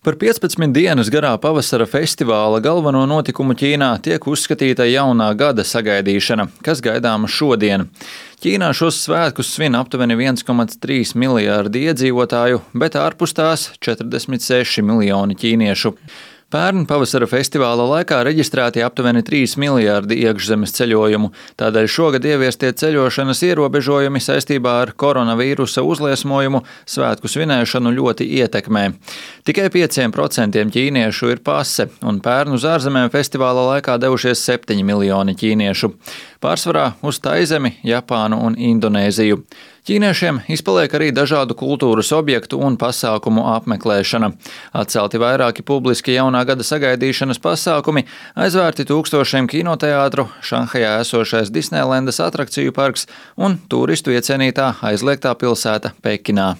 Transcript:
Par 15 dienas garā pavasara festivāla galveno notikumu Ķīnā tiek uzskatīta jaunā gada sagaidīšana, kas gaidāma šodien. Ķīnā šos svētkus svin aptuveni 1,3 miljārdi iedzīvotāju, bet ārpus tās 46 miljoni ķīniešu. Pērn pavasara festivāla laikā reģistrēti aptuveni 3 miljārdi iekšzemes ceļojumu, tādēļ šogad ieviestie ceļošanas ierobežojumi saistībā ar koronavīrusa uzliesmojumu svētku svinēšanu ļoti ietekmē. Tikai 5% ķīniešu ir pase, un pērn uz ārzemēm festivāla laikā devušies 7 miljoni ķīniešu. Pārsvarā uz Taizemi, Japānu un Indonēziju. Ķīniešiem izpaliek arī dažādu kultūras objektu un pasākumu apmeklēšana. Atcelti vairāki publiski jaunā gada sagaidīšanas pasākumi, aizvērti tūkstošiem kinoteātru, Šanhajā esošais Disneilendas atrakciju parks un turistu iecienītā aizliegtā pilsēta Pekinā.